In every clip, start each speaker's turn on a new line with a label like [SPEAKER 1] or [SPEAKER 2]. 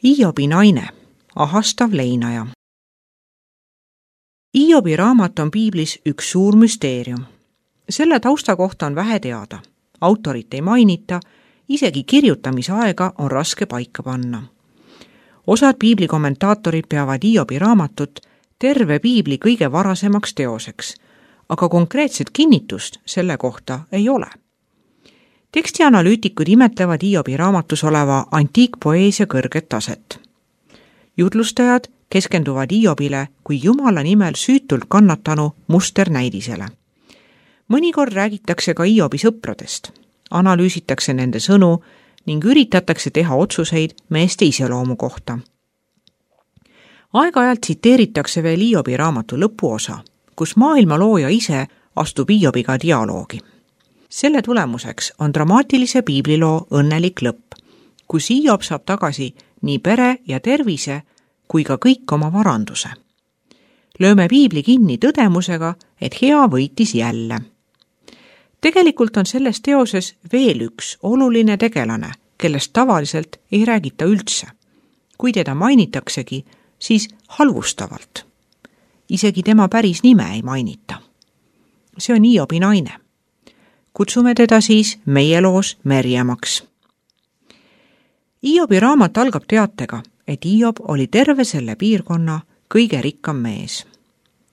[SPEAKER 1] Hiobi naine, ahastav leinaja. Hiobi raamat on piiblis üks suur müsteerium. Selle tausta kohta on vähe teada. Autorit ei mainita, isegi kirjutamisaega on raske paika panna. Osad piibli kommentaatorid peavad Hiobi raamatut terve piibli kõige varasemaks teoseks, aga konkreetset kinnitust selle kohta ei ole. Tekstianalüütikud imetlevad Hiobi raamatus oleva antiikpoeesia kõrget taset. Jutlustajad keskenduvad Hiobile kui Jumala nimel süütult kannatanu musternäidisele. Mõnikord räägitakse ka Hiobi sõpradest, analüüsitakse nende sõnu ning üritatakse teha otsuseid meeste iseloomu kohta. Aeg-ajalt tsiteeritakse veel Hiobi raamatu lõpuosa, kus maailma looja ise astub Hiobiga dialoogi. Selle tulemuseks on dramaatilise piibliloo õnnelik lõpp, kus Hiob saab tagasi nii pere ja tervise kui ka kõik oma varanduse. Lööme piibli kinni tõdemusega, et hea võitis jälle. Tegelikult on selles teoses veel üks oluline tegelane, kellest tavaliselt ei räägita üldse. Kui teda mainitaksegi, siis halvustavalt. Isegi tema päris nime ei mainita. See on Hiobi naine. Kutsume teda siis meie loos Merjamaks. Hiobi raamat algab teatega, et Hiob oli terve selle piirkonna kõige rikkam mees.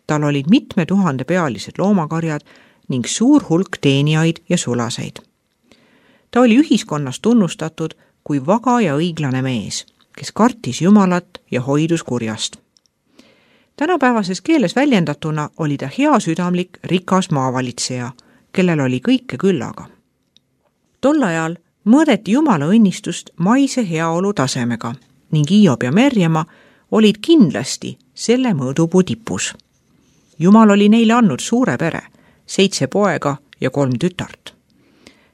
[SPEAKER 1] Tal olid mitme tuhande pealised loomakarjad ning suur hulk teenijaid ja sulaseid. Ta oli ühiskonnas tunnustatud kui vaga ja õiglane mees, kes kartis Jumalat ja hoidus kurjast. Tänapäevases keeles väljendatuna oli ta heasüdamlik, rikas maavalitseja, kellel oli kõike küllaga. Tol ajal mõõdeti Jumala õnnistust maise heaolu tasemega ning Hiob ja Merjama olid kindlasti selle mõõdupuu tipus. Jumal oli neile andnud suure pere, 7 poega ja 3 tütart.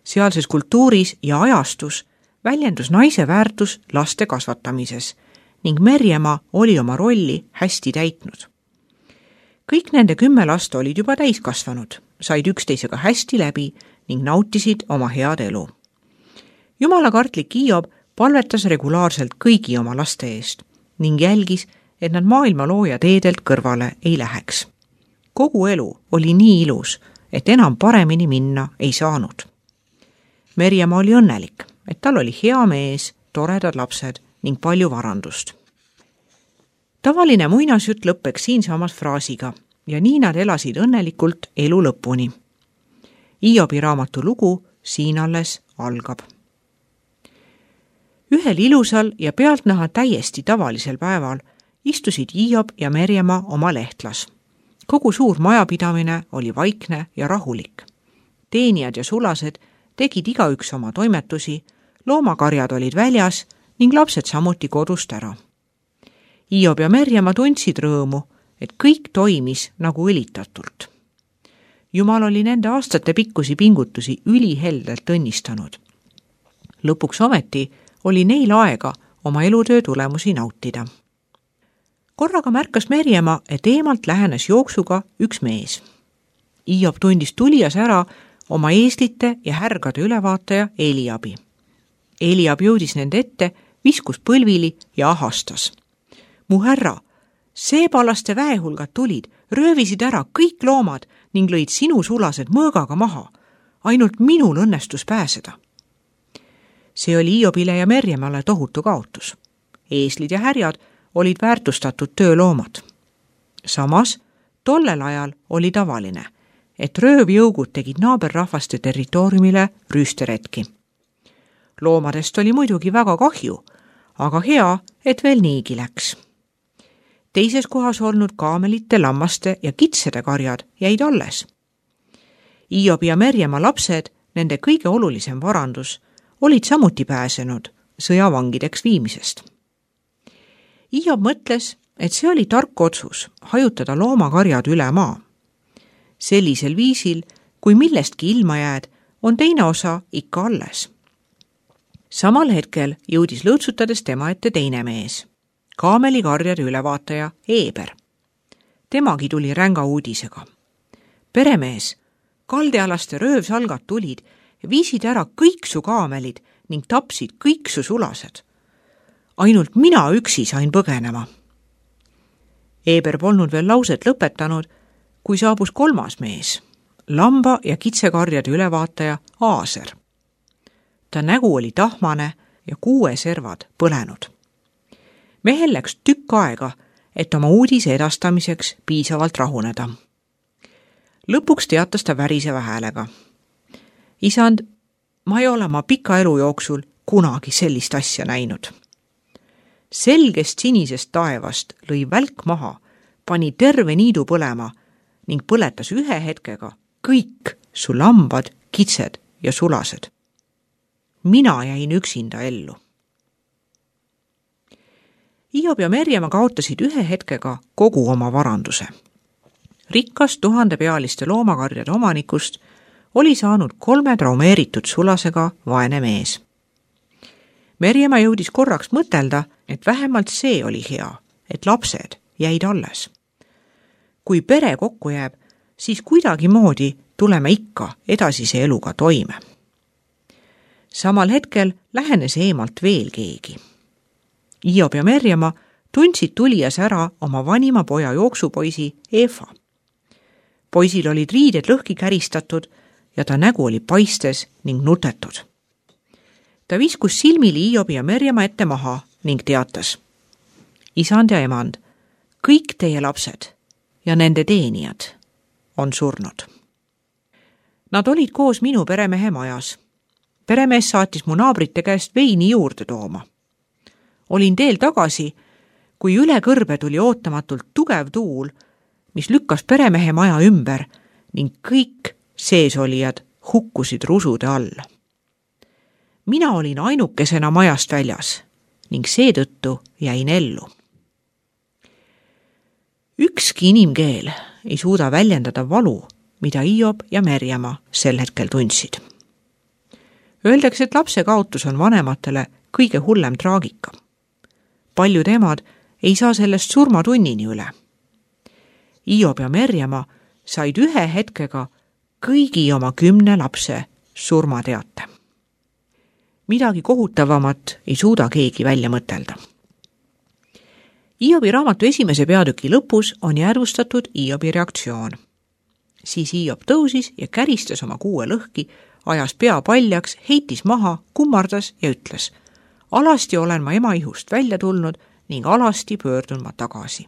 [SPEAKER 1] Sealses kultuuris ja ajastus väljendus naise väärtus laste kasvatamises ning Merjama oli oma rolli hästi täitnud. Kõik nende 10 last olid juba täiskasvanud, said üksteisega hästi läbi ning nautisid oma head elu. Jumalakartlik Hiob palvetas regulaarselt kõigi oma laste eest ning jälgis, et nad maailma looja teedelt kõrvale ei läheks. Kogu elu oli nii ilus, et enam paremini minna ei saanud. Merjama oli õnnelik, et tal oli hea mees, toredad lapsed ning palju varandust. Tavaline muinasjutt lõppeks siinsamas fraasiga ja nii nad elasid õnnelikult elu lõpuni. Hiobi raamatu lugu siin alles algab. Ühel ilusal ja pealtnäha täiesti tavalisel päeval istusid Hiob ja Merjama oma lehtlas. Kogu suur majapidamine oli vaikne ja rahulik. Teenijad ja sulased tegid igaüks oma toimetusi, loomakarjad olid väljas ning lapsed samuti kodust ära. Hiob ja Merjama tundsid rõõmu, et kõik toimis nagu õlitatult. Jumal oli nende aastate pikkusi pingutusi üliheldelt õnnistanud. Lõpuks ometi oli neil aega oma elutöö tulemusi nautida. Korraga märkas Merjama, et eemalt lähenes jooksuga üks mees. Hiob tundis tulijas ära oma eeslite ja härgade ülevaataja Eliabi. Eliab jõudis nende ette, viskus põlvili ja ahastas. Mu härra, seebalaste väehulgad tulid, röövisid ära kõik loomad ning lõid sinu sulased mõõgaga maha. Ainult minul õnnestus pääseda. See oli Hiobile ja Merjamale tohutu kaotus. Eeslid ja härjad olid väärtustatud tööloomad. Samas, tollel ajal oli tavaline, et röövjõugud tegid naaberrahvaste territooriumile rüüsteretki. Loomadest oli muidugi väga kahju, aga hea, et veel niigi läks. Teises kohas olnud kaamelite, lammaste ja kitsede karjad jäid alles. Hiobi ja Merjama lapsed, nende kõige olulisem varandus, olid samuti pääsenud sõjavangideks viimisest. Hiob mõtles, et see oli tark otsus hajutada loomakarjad üle maa. Sellisel viisil, kui millestki ilma jääd, on teine osa ikka alles. Samal hetkel jõudis lõõtsutades tema ette teine mees, kaamelikarjade ülevaataja Eeber. Temagi tuli ränga uudisega. Peremees, kaldealaste röövsalgad tulid ja viisid ära kõik su kaamelid ning tapsid kõik su sulased. ainult mina üksi sain põgenema. Eeber polnud veel lauset lõpetanud, kui saabus kolmas mees, lamba- ja kitsekarjade ülevaataja Aaser. Ta nägu oli tahmane ja kuueservad põlenud. Mehel läks tükk aega, et oma uudise edastamiseks piisavalt rahuneda. Lõpuks teatas ta väriseva häälega. Isand, ma ei ole oma pika elu jooksul kunagi sellist asja näinud. Selgest sinisest taevast lõi välk maha, pani terve niidu põlema ning põletas ühe hetkega kõik su lambad, kitsed ja sulased. Mina jäin üksinda ellu. Hiob ja Merjama kaotasid ühe hetkega kogu oma varanduse. Rikkas 1000-pealiste loomakarjade omanikust oli saanud 3 traumeeritud sulasega vaene mees. Merjama jõudis korraks mõtelda, et vähemalt see oli hea, et lapsed jäid alles. Kui pere kokku jääb, siis kuidagimoodi tuleme ikka edasise eluga toime. Samal hetkel lähenes eemalt veel keegi. Hiob ja Merjama tundsid tulijas ära oma vanima poja jooksupoisi Efa. Poisil olid riided lõhki käristatud ja ta nägu oli paistes ning nutetud. Ta viskus silmili Hiobi ja Merjama ette maha ning teatas. Isand ja emand, kõik teie lapsed ja nende teenijad on surnud. Nad olid koos minu peremehe majas. Peremees saatis mu naabrite käest veini juurde tooma. Olin teel tagasi, kui üle kõrbe tuli ootamatult tugev tuul, mis lükkas peremehe maja ümber ning kõik seesolijad hukkusid rusude all. Mina olin ainukesena majast väljas ning seetõttu jäin ellu. Ükski inimkeel ei suuda väljendada valu, mida Hiob ja Merjama sel hetkel tundsid. Öeldakse, et lapse kaotus on vanematele kõige hullem traagika. Paljud emad ei saa sellest surmatunnini üle. Hiob ja Merjama said ühe hetkega kõigi oma 10 lapse surmateate. Midagi kohutavamat ei suuda keegi välja mõtelda. Hiobi raamatu esimese peatüki lõpus on jäädvustatud Hiobi reaktsioon. Siis Hiob tõusis ja käristas oma kuue lõhki, ajas pea paljaks, heitis maha, kummardas ja ütles: alasti olen ma ema ihust välja tulnud ning alasti pöördun ma tagasi.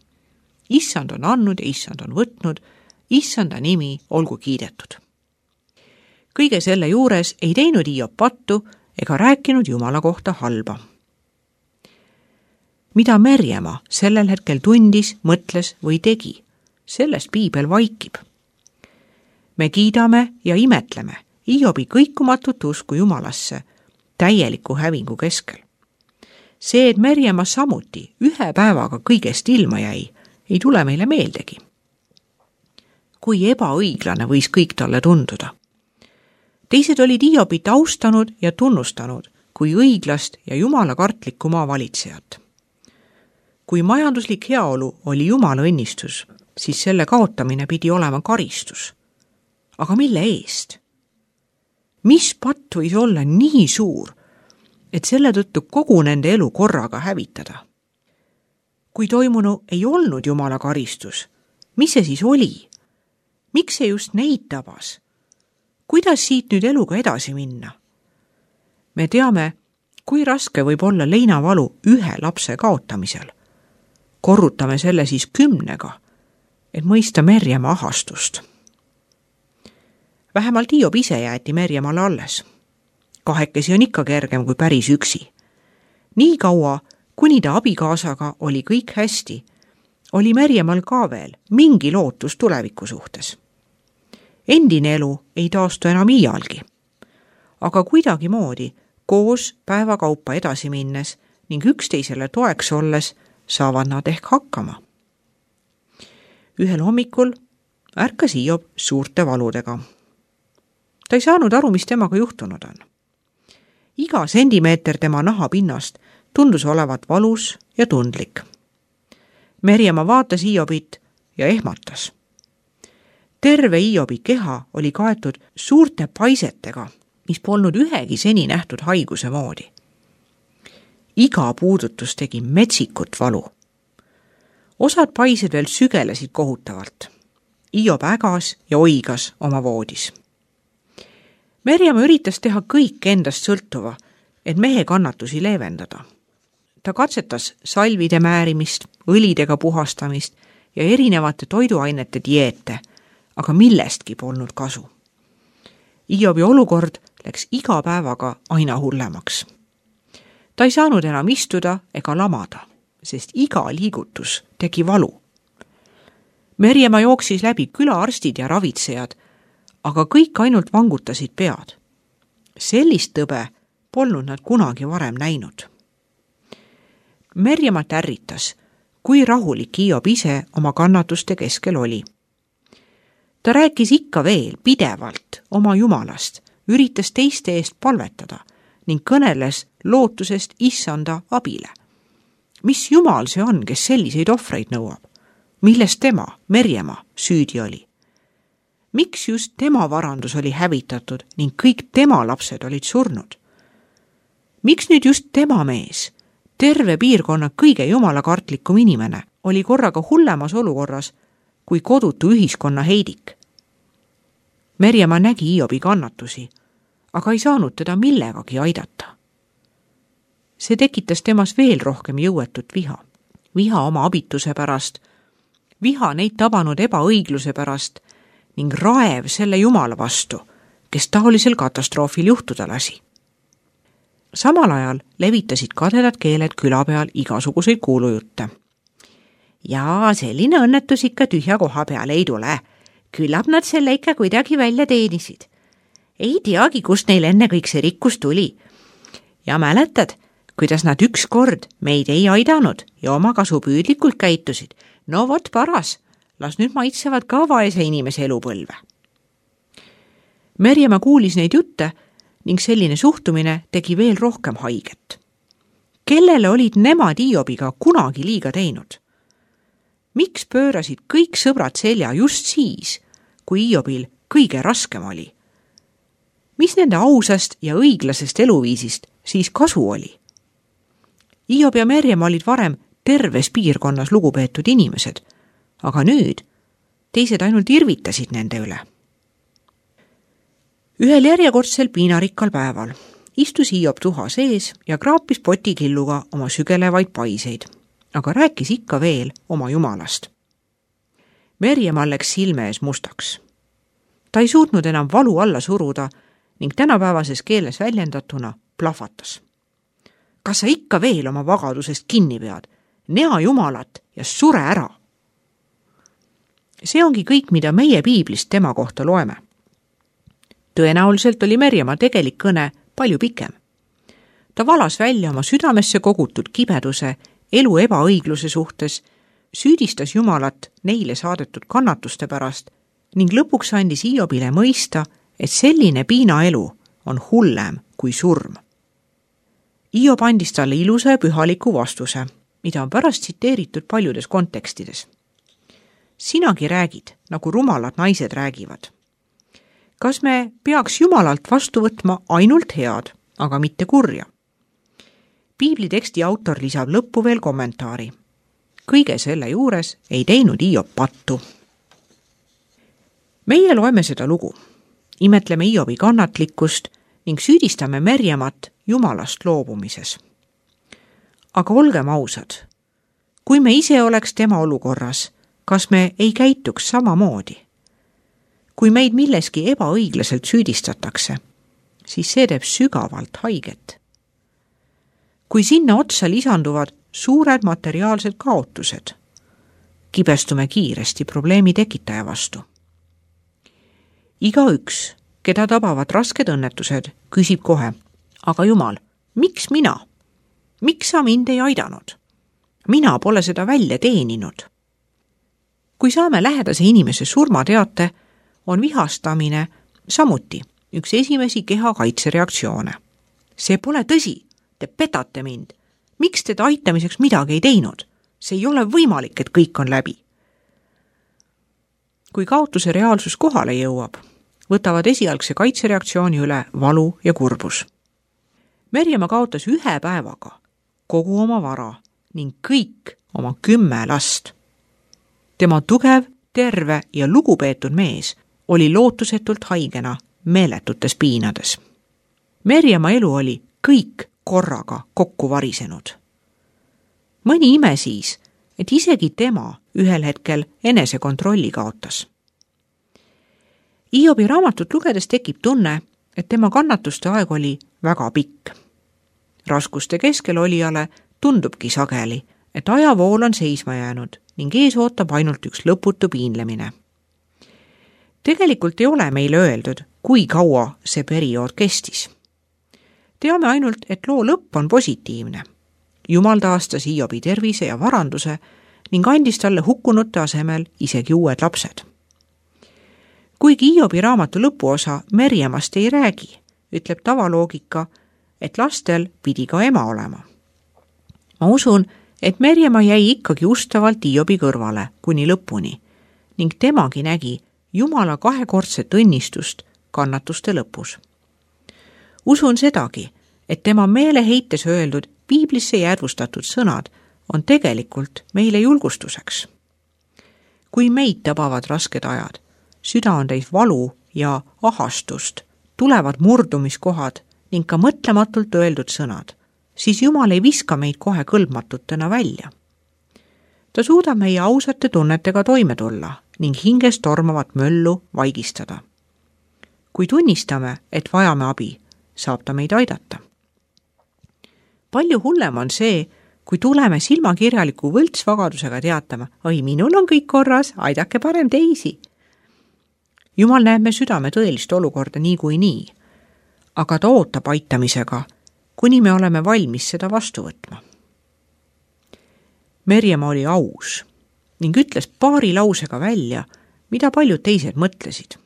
[SPEAKER 1] Issand on andnud ja issand on võtnud, issanda nimi olgu kiidetud. Kõige selle juures ei teinud Hiob pattu ega rääkinud Jumala kohta halba. Mida Merjama sellel hetkel tundis, mõtles või tegi, sellest piibel vaikib. Me kiidame ja imetleme Hiobi kõikumatut usku Jumalasse täieliku hävingu keskel. See, et Merjama samuti ühe päevaga kõigest ilma jäi, ei tule meile meeldegi. Kui ebaõiglane võis kõik talle tunduda. Teised olid Hiobit austanud ja tunnustanud kui õiglast ja jumalakartlikku maavalitsejat. Kui majanduslik heaolu oli Jumala õnnistus, siis selle kaotamine pidi olema karistus. Aga mille eest? Mis patt võis olla nii suur, et selle tõttu kogu nende elu korraga hävitada? Kui toimunu ei olnud Jumala karistus, mis see siis oli? Miks see just neid tabas? Kuidas siit nüüd eluga edasi minna? Me teame, kui raske võib olla leinavalu ühe lapse kaotamisel. Korrutame selle siis 10, et mõista Merjama ahastust. Vähemalt Hiob ise jäeti Merjamale alles. 2 on ikka kergem kui päris üksi. Nii kaua, kuni ta abikaasaga oli kõik hästi, oli Merjamal ka veel mingi lootus tuleviku suhtes. Endine elu ei taastu enam iialgi. Aga kuidagimoodi koos päevakaupa edasi minnes ning üksteisele toeks olles saavad nad ehk hakkama. Ühel hommikul ärkas Hiob suurte valudega. Ta ei saanud aru, mis temaga juhtunud on. Iga sentimeeter tema nahapinnast tundus olevat valus ja tundlik. Merjama vaatas Hiobit ja ehmatas. Terve Hiobi keha oli kaetud suurte paisetega, mis polnud ühegi seni nähtud haiguse moodi. Iga puudutus tegi metsikut valu. Osad paised veel sügelesid kohutavalt. Hiob ägas ja oigas oma voodis. Merjama üritas teha kõik endast sõltuva, et mehe kannatusi leevendada. Ta katsetas salvide määrimist, õlidega puhastamist ja erinevate toiduainete dieete, aga millestki polnud kasu. Hiobi olukord läks iga päevaga aina hullemaks. Ta ei saanud enam istuda ega lamada, sest iga liigutus tegi valu. Merjama jooksis läbi külaarstid ja ravitsejad, aga kõik ainult vangutasid pead. Sellist tõbe polnud nad kunagi varem näinud. Merjama ärritas, kui rahulik Hiob ise oma kannatuste keskel oli. Ta rääkis ikka veel pidevalt oma Jumalast, üritas teiste eest palvetada ning kõneles lootusest issanda abile. Mis Jumal see on, kes selliseid ohvreid nõuab? Milles tema, Merjama, süüdi oli? Miks just tema varandus oli hävitatud ning kõik tema lapsed olid surnud? Miks nüüd just tema mees, terve piirkonna kõige jumalakartlikum inimene, oli korraga hullemas olukorras kui kodutu ühiskonna heidik? Merjama nägi Hiobi kannatusi, aga ei saanud teda millegagi aidata. See tekitas temas veel rohkem jõuetut viha. Viha oma abituse pärast, viha neid tabanud ebaõigluse pärast ning raev selle Jumala vastu, kes taolisel katastroofil juhtuda lasi. Samal ajal levitasid kadedad keeled küla peal igasuguseid kuulujutte. Ja selline õnnetus ikka tühja koha peale ei tule. Küllap nad selle ikka kuidagi välja teenisid. Ei teagi, kust neil enne kõik see rikkus tuli. Ja mäletad, kuidas nad ükskord meid ei aidanud ja oma kasupüüdlikult käitusid. No vot paras, las nüüd maitsevad ka vaese inimese elupõlve. Merjama kuulis neid jutte ning selline suhtumine tegi veel rohkem haiget. Kellele olid nemad Hiobiga kunagi liiga teinud? Miks pöörasid kõik sõbrad selja just siis, kui Hiobil kõige raskem oli? Mis nende ausast ja õiglasest eluviisist siis kasu oli? Hiob ja Merjama olid varem terves piirkonnas lugupeetud inimesed, aga nüüd teised ainult irvitasid nende üle. Ühel järjekordsel piinarikkal päeval istus Hiob tuha sees ja kraapis potikilluga oma sügelevaid paiseid, aga rääkis ikka veel oma Jumalast. Merjama läks silme ees mustaks. Ta ei suutnud enam valu alla suruda ning tänapäevases keeles väljendatuna plahvatas. Kas sa ikka veel oma vagadusest kinni pead? Nea Jumalat ja sure ära! See ongi kõik, mida meie piiblist tema kohta loeme. Tõenäoliselt oli Merjama tegelik kõne palju pikem. Ta valas välja oma südamesse kogutud kibeduse, elu ebaõigluse suhtes, süüdistas Jumalat neile saadetud kannatuste pärast ning lõpuks andis Hiobile mõista, et selline piinaelu on hullem kui surm. Hiob andis talle ilusa ja pühaliku vastuse, mida on pärast tsiteeritud paljudes kontekstides. Sinagi räägid, nagu rumalad naised räägivad. Kas me peaks Jumalalt vastu võtma ainult head, aga mitte kurja? Piibliteksti autor lisab lõppu veel kommentaari. Kõige selle juures ei teinud Hiob pattu. Meie loeme seda lugu, imetleme Hiobi kannatlikkust ning süüdistame Merjamat Jumalast loobumises. Aga olgem ausad, kui me ise oleks tema olukorras, kas me ei käituks samamoodi? Kui meid milleski ebaõiglaselt süüdistatakse, siis see teeb sügavalt haiget. Kui sinna otsa lisanduvad suured materiaalsed kaotused, kibestume kiiresti probleemi tekitaja vastu. Igaüks, keda tabavad rasked õnnetused, küsib kohe, aga Jumal, miks mina? Miks sa mind ei aidanud? Mina pole seda välja teeninud. Kui saame lähedase inimese surmateate, on vihastamine samuti üks esimesi keha kaitsereaktsioone. See pole tõsi, te petate mind. Miks te aitamiseks midagi ei teinud? See ei ole võimalik, et kõik on läbi. Kui kaotuse reaalsus kohale jõuab, võtavad esialgse kaitsereaktsiooni üle valu ja kurbus. Merjama kaotas 1 päevaga kogu oma vara ning kõik oma 10 last. Tema tugev, terve ja lugupeetud mees oli lootusetult haigena meeletutes piinades. Merjama elu oli kõik korraga kokku varisenud. Mõni ime siis, et isegi tema ühel hetkel enesekontrolli kaotas. Hiobi raamatut lugedes tekib tunne, et tema kannatuste aeg oli väga pikk. Raskuste keskel olijale tundubki sageli, et ajavool on seisma jäänud ning ees ootab ainult üks lõputu piinlemine. Tegelikult ei ole meile öeldud, kui kaua see periood kestis. Teame ainult, et loo lõpp on positiivne. Jumal taastas Hiobi tervise ja varanduse ning andis talle hukkunute asemel isegi uued lapsed. Kuigi Hiobi raamatu lõpuosa Merjamast ei räägi, ütleb tavaloogika, et lastel pidi ka ema olema. Ma usun, et Merjama jäi ikkagi ustavalt Hiobi kõrvale kuni lõpuni ning temagi nägi Jumala kahekordset õnnistust kannatuste lõpus. Usun sedagi, et tema meeleheites öeldud piiblisse jäädvustatud sõnad on tegelikult meile julgustuseks. Kui meid tabavad rasked ajad, süda on täis valu ja ahastust, tulevad murdumiskohad ning ka mõtlematult öeldud sõnad, siis Jumal ei viska meid kohe kõlbmatutena välja. Ta suudab meie ausate tunnetega toime tulla ning hingest tormavat möllu vaigistada. Kui tunnistame, et vajame abi, saab ta meid aidata. Palju hullem on see, kui tuleme silmakirjaliku võltsvagadusega teatama, oi, minul on kõik korras, aidake parem teisi. Jumal näeb me südame tõelist olukorda nii, aga ta ootab aitamisega, kuni me oleme valmis seda vastu võtma. Merjama oli aus ning ütles paari lausega välja, mida paljud teised mõtlesid.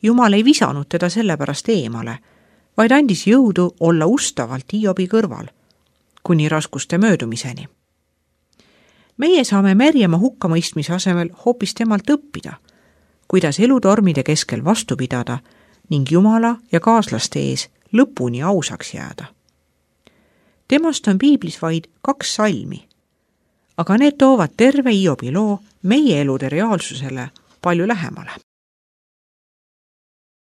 [SPEAKER 1] Jumal ei visanud teda sellepärast eemale, vaid andis jõudu olla ustavalt Hiobi kõrval, kuni raskuste möödumiseni. Meie saame Merjama hukkamõistmise asemel hoopis temalt õppida, kuidas elutormide keskel vastu pidada ning Jumala ja kaaslaste ees lõpuni ausaks jääda. Temast on piiblis vaid 2 salmi, aga need toovad terve Hiobi loo meie elude reaalsusele palju lähemale.